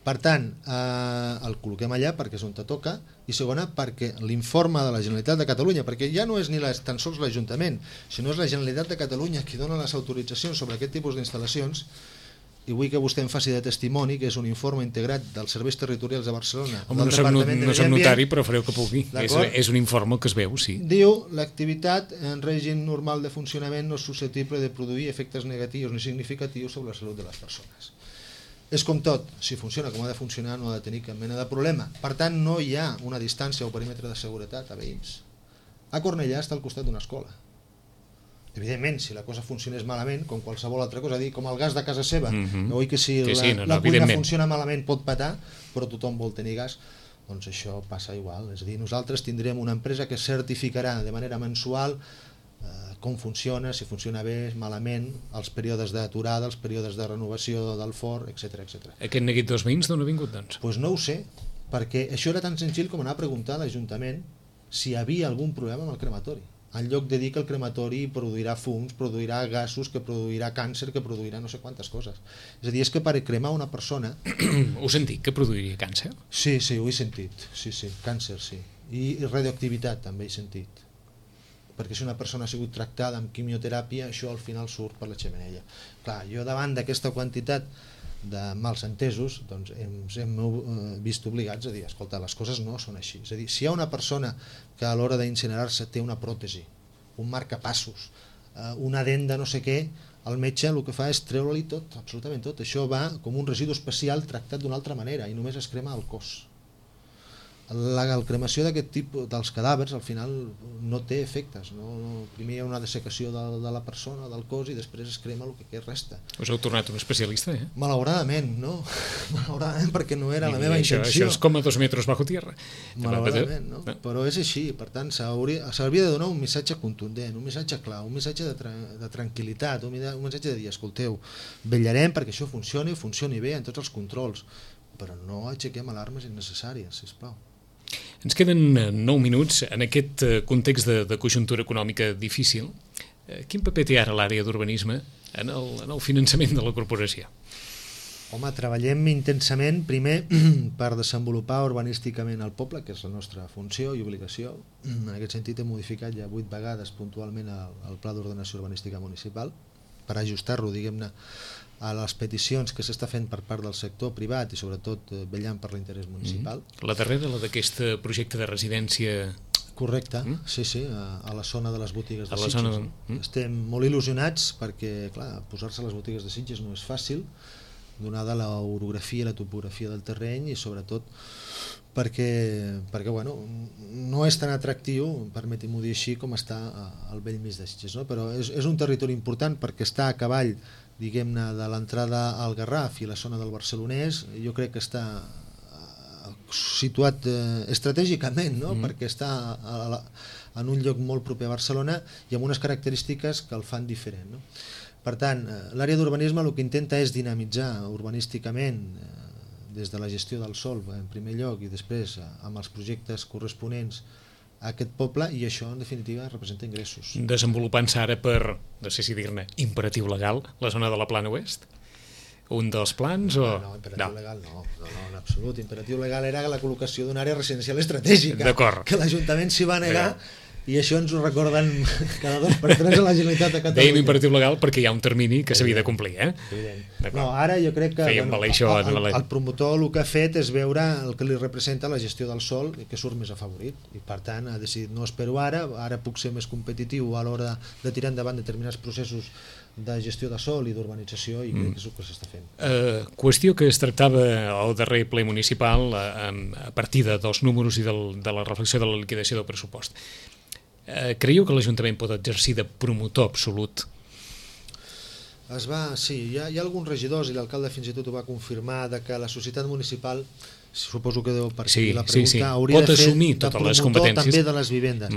Per tant, el col·loquem allà perquè és on te toca, i segona, perquè l'informe de la Generalitat de Catalunya, perquè ja no és ni tan sols l'Ajuntament, sinó és la Generalitat de Catalunya qui dona les autoritzacions sobre aquest tipus d'instal·lacions, i vull que vostè em faci de testimoni, que és un informe integrat dels serveis territorials de Barcelona. Home, no soc notari, però fareu que pugui. És un informe que es veu, sí. Diu, l'activitat en règim normal de funcionament no és susceptible de produir efectes negatius ni significatius sobre la salut de les persones. És com tot, si funciona com ha de funcionar no ha de tenir cap mena de problema. Per tant, no hi ha una distància o perímetre de seguretat a veïns. A Cornellà està al costat d'una escola. Evidentment, si la cosa funcionés malament, com qualsevol altra cosa, com el gas de casa seva, oi que si la cuina funciona malament pot petar, però tothom vol tenir gas, doncs això passa igual. És a dir, nosaltres tindrem una empresa que certificarà de manera mensual com funciona, si funciona bé, malament, els períodes d'aturada, els períodes de renovació del forn, etc. Aquest neguit dels veïns d'on ha vingut, doncs? Doncs no ho sé, perquè això era tan senzill com anar a preguntar a l'Ajuntament si hi havia algun problema amb el crematori, en lloc de dir que el crematori produirà fums, produirà gasos, que produirà càncer, que produirà no sé quantes coses. És a dir, és que per cremar una persona... Ho sentit, que produiria càncer? Sí, ho he sentit, sí, càncer, sí. I radioactivitat també he sentit. Perquè si una persona ha sigut tractada amb quimioteràpia, això al final surt per la xemeneia. Clar, jo davant d'aquesta quantitat de mals entesos, doncs ens hem vist obligats a dir, escolta, les coses no són així. És a dir, si hi ha una persona que a l'hora d'incinerar-se té una pròtesi, un marcapassos, una dent de no sé què, el metge el que fa és treure-li tot, absolutament tot. Això va com un residu especial tractat d'una altra manera i només es crema el cos. La cremació d'aquest tipus dels cadàvers al final no té efectes, primer hi ha una dessecació de la persona, del cos, i després es crema el que resta. Us heu tornat un especialista, eh? Malauradament, no? Malauradament, perquè no era la meva intenció. Això és com a 2 metres bajo tierra. Malauradament, no? Però és així, per tant s'hauria de donar un missatge contundent, un missatge clar, un missatge de tranquil·litat, un missatge de dir, escolteu, vetllarem perquè això funcioni bé en tots els controls, però no aixequem alarmes innecessàries, sisplau. Ens queden 9 minuts en aquest context de conjuntura econòmica difícil. Quin paper té ara l'àrea d'urbanisme en el finançament de la corporació? Home, treballem intensament, primer, per desenvolupar urbanísticament el poble, que és la nostra funció i obligació. En aquest sentit hem modificat ja 8 vegades puntualment el Pla d'Ordenació Urbanística Municipal per ajustar-lo, diguem-ne, a les peticions que s'està fent per part del sector privat i sobretot vetllant per l'interès municipal. La darrera, la d'aquest projecte de residència... Correcte, sí, a la zona de les botigues de Sitges. Estem molt il·lusionats perquè, clar, posar-se a les botigues de Sitges no és fàcil, donada l'orografia i la topografia del terreny, i sobretot perquè bueno, no és tan atractiu, permeti-m'ho dir així, com està al bell mig de Sitges, no? Però és un territori important perquè està a cavall, diguem-ne, de l'entrada al Garraf i la zona del Barcelonès. Jo crec que està situat estratègicament, no? Perquè està en un lloc molt proper a Barcelona i amb unes característiques que el fan diferent, no? Per tant, l'àrea d'urbanisme el que intenta és dinamitzar urbanísticament des de la gestió del sòl en primer lloc i després amb els projectes corresponents a aquest poble, i això en definitiva representa ingressos. Desenvolupant-se ara per, no sé si dir-ne, imperatiu legal, la zona de la Plana Oest? Un dels plans o...? No, imperatiu legal no, en absolut. Imperatiu legal era la col·locació d'una àrea residencial estratègica, que l'Ajuntament s'hi va negar. I això ens ho recorden cada 2 per 3 a la Generalitat de Catalunya. Dèiem imperatiu legal perquè hi ha un termini que s'havia de complir, eh? No, ara jo crec que el promotor el que ha fet és veure el que li representa la gestió del sòl, que surt més afavorit, i per tant ha decidit no espero ara puc ser més competitiu a l'hora de tirar endavant determinats processos de gestió de sòl i d'urbanització, i crec que és el que s'està fent. Qüestió que es tractava al darrer ple municipal a partir dels números i de la reflexió de la liquidació del pressupost. Creieu que l'Ajuntament pot exercir de promotor absolut? Sí, hi ha alguns regidors, i l'alcalde fins i tot ho va confirmar, de que la societat municipal suposo que deu per Sí, aquí la pregunta, sí. hauria Pot de fer assumir de totes les promotor competències. també de les vivendes.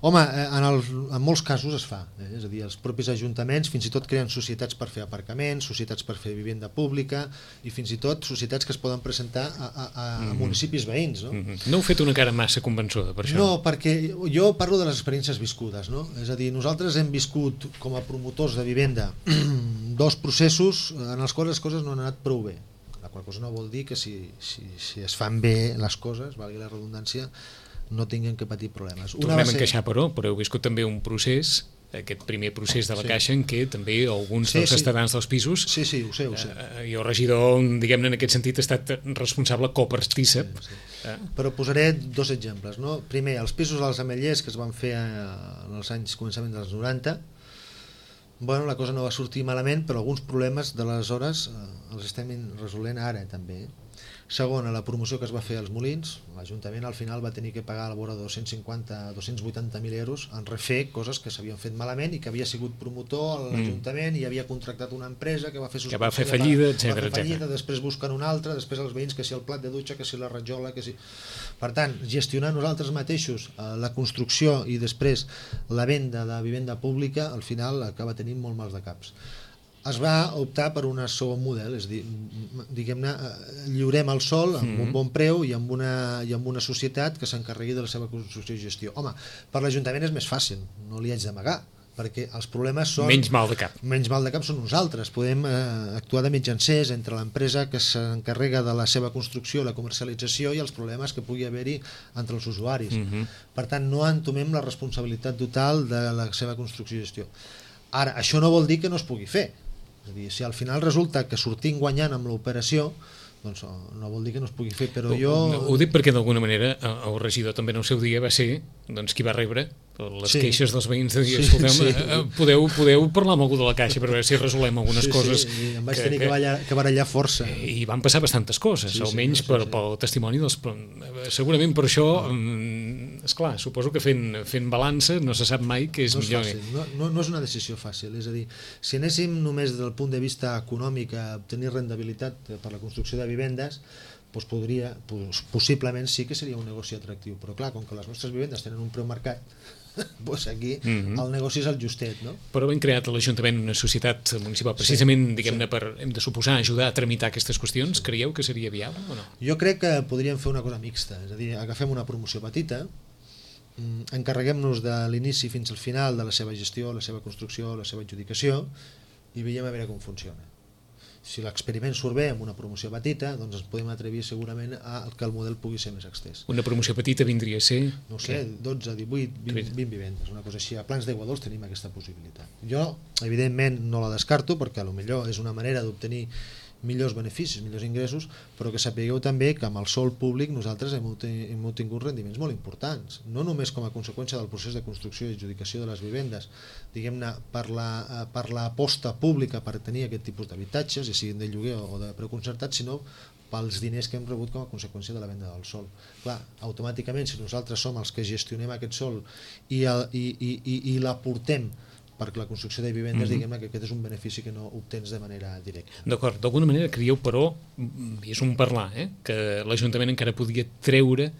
Home, en molts casos es fa, és a dir, els propis ajuntaments fins i tot creen societats per fer aparcaments, societats per fer vivenda pública i fins i tot societats que es poden presentar a municipis veïns, no? No heu fet una cara massa convençuda per això? No, perquè jo parlo de les experiències viscudes, no? És a dir, nosaltres hem viscut com a promotors de vivenda 2 processos en els quals les coses no han anat prou bé. La qual cosa no vol dir que si es fan bé les coses, valgui la redundància, no tinguin que patir problemes. Tornem a encaixar, però heu viscut també un procés, aquest primer procés de la Caixa, en què també alguns dels ciutadans dels pisos... Sí, ho sé. I el regidor, diguem-ne, en aquest sentit, ha estat responsable copartícip. Però posaré 2 exemples, no? Primer, els pisos dels Ametllers que es van fer en els anys començament dels 90. Bueno, la cosa no va sortir malament, però alguns problemes d'aleshores els estem resolent ara també. Segona, la promoció que es va fer als Molins, l'Ajuntament al final va tenir que pagar a la vora de 280.000 euros en refer coses que s'havien fet malament i que havia sigut promotor a l'Ajuntament i havia contractat una empresa que va fer fallida, etc. Després busquen una altra, després els veïns que si el plat de dutxa, que si la rajola, que si... Per tant, gestionar nosaltres mateixos la construcció i després la venda de vivenda pública al final acaba tenint molt mals de caps. Es va optar per un segon model, és a dir, diguem-ne, lliurem el sòl amb un bon preu i amb una societat que s'encarregui de la seva construcció i gestió. Home, per l'Ajuntament és més fàcil, no li haig d'amagar, perquè els problemes són... Menys mal de cap. Menys mal de cap són nosaltres. Podem actuar de mitjancers entre l'empresa que s'encarrega de la seva construcció, la comercialització i els problemes que pugui haver-hi entre els usuaris. Per tant, no entomem la responsabilitat total de la seva construcció i gestió. Ara, això no vol dir que no es pugui fer. És a dir, si al final resulta que sortim guanyant amb l'operació, doncs no vol dir que no es pugui fer, però jo... Ho dic perquè d'alguna manera el regidor també en el seu dia va ser qui va rebre les queixes dels veïns de dir, podeu parlar amb algú de la Caixa per veure si resolem algunes coses. Sí, em vaig tenir que barallar força. I van passar bastantes coses, almenys pel testimoni dels... Segurament per això, esclar, suposo que fent balança no se sap mai què és millor. No és una decisió fàcil, és a dir, si anéssim només des del punt de vista econòmic a obtenir rendibilitat per la construcció de vivendes, doncs possiblement sí que seria un negoci atractiu, però clar, com que les nostres vivendes tenen un preu marcat, doncs aquí el negoci és el justet, no? Però hem creat a l'Ajuntament una societat municipal precisament, diguem-ne, per, hem de suposar, ajudar a tramitar aquestes qüestions. Creieu que seria viable o no? Jo crec que podríem fer una cosa mixta, és a dir, agafem una promoció petita, encarreguem-nos de l'inici fins al final de la seva gestió, la seva construcció, la seva adjudicació i veiem a veure com funciona. Si l'experiment surt bé amb una promoció petita, doncs ens podem atrevir segurament a que el model pugui ser més extès. Una promoció petita vindria a ser... No sé, 12, 18, 20 vivendes, una cosa així. A Plans d'Aigua Dols tenim aquesta possibilitat. Jo, evidentment, no la descarto, perquè potser és una manera d'obtenir millors beneficis, millors ingressos, però que sapigueu també que amb el sòl públic nosaltres hem obtingut rendiments molt importants, no només com a conseqüència del procés de construcció i adjudicació de les vivendes, diguem-ne, per l'aposta pública per tenir aquest tipus d'habitatges, ja siguin de lloguer o de preu concertat, sinó pels diners que hem rebut com a conseqüència de la venda del sòl. Clar, automàticament, si nosaltres som els que gestionem aquest sòl i l'aportem perquè la construcció de vivendes, diguem-ne que aquest és un benefici que no obtens de manera directa. D'acord, d'alguna manera creieu, però, i és un parlar, que l'Ajuntament encara podria treure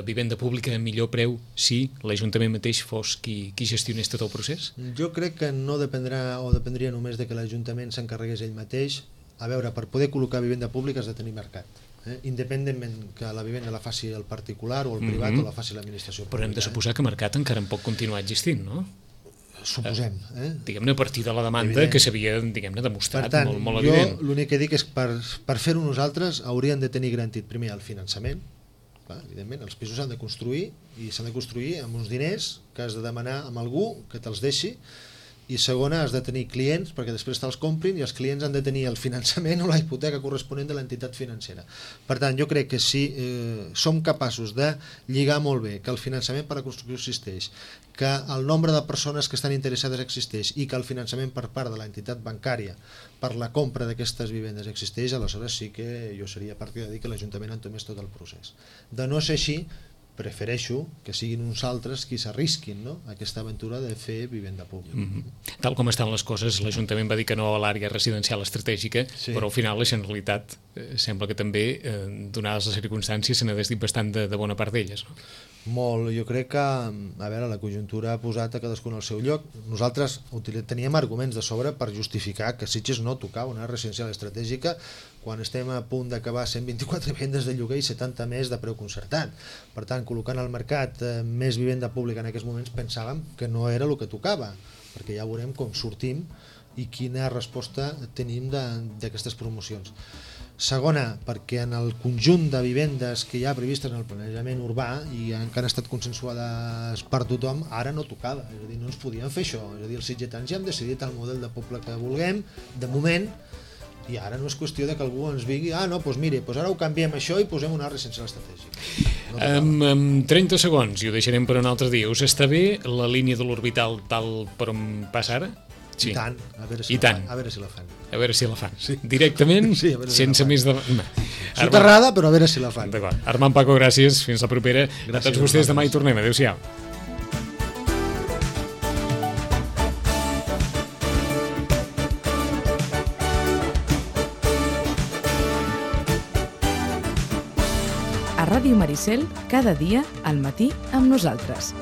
vivenda pública a millor preu si l'Ajuntament mateix fos qui gestionés tot el procés? Jo crec que no dependrà o dependria només de que l'Ajuntament s'encarregués ell mateix. A veure, per poder col·locar vivenda pública has de tenir mercat. Independentment que la vivenda la faci el particular o el privat o la faci l'administració pública. Però hem de suposar que mercat encara en pot continuar existint, no? Suposem. Diguem-ne, a partir de la demanda que s'havia, diguem-ne, demostrat. Per tant, molt evident. Jo l'únic que dic és que per fer-ho nosaltres hauríem de tenir garantit primer el finançament. Clar, evidentment, els pisos s'han de construir i s'han de construir amb uns diners que has de demanar a algú que te'ls deixi, i segona, has de tenir clients perquè després te'ls comprin i els clients han de tenir el finançament o la hipoteca corresponent de l'entitat financera. Per tant, jo crec que si som capaços de lligar molt bé que el finançament per a la construcció existeix, que el nombre de persones que estan interessades existeix i que el finançament per part de l'entitat bancària per la compra d'aquestes vivendes existeix, aleshores sí que jo seria partidari de dir que l'Ajuntament entomés tot el procés. De no ser així, prefereixo que siguin uns altres qui s'arrisquin, no?, aquesta aventura de fer vivenda pública. Tal com estan les coses, l'Ajuntament va dir que no a l'àrea residencial estratègica, però al final la Generalitat sembla que també, donades les circumstàncies, se n'ha desdit bastant de bona part d'elles, no? Molt, jo crec que, a veure, la conjuntura ha posat a cadascun al seu lloc. Nosaltres teníem arguments de sobre per justificar que Sitges no tocava una residencial estratègica quan estem a punt d'acabar 124 vivendes de lloguer i 70 més de preu concertat. Per tant, col·locant al mercat més vivenda pública en aquests moments pensàvem que no era el que tocava, perquè ja veurem com sortim i quina resposta tenim d'aquestes promocions. Segona, perquè en el conjunt de vivendes que hi ha previstes en el planejament urbà i que han estat consensuades per tothom, ara no tocava, és a dir, no ens podíem fer això, és a dir, els sitgetans ja hem decidit el model de poble que vulguem, de moment, i ara no és qüestió de que algú ens digui, doncs mire, ara ho canviem això i posem una residencial estratègica. En 30 segons, i ho deixarem per un altre dia, us està bé la línia de l'orbital tal per on passa ara? Sí. I tant, a veure si la fan. A veure si la fan. Sí. Directament, sí, sense més de... Soterrada, però a veure si la fan. D'acord. Armand, Paco, gràcies. Fins la propera. Gràcies a tots vostès. Demà hi tornem. Adéu-siau. A Ràdio Maricel, cada dia, al matí, amb nosaltres.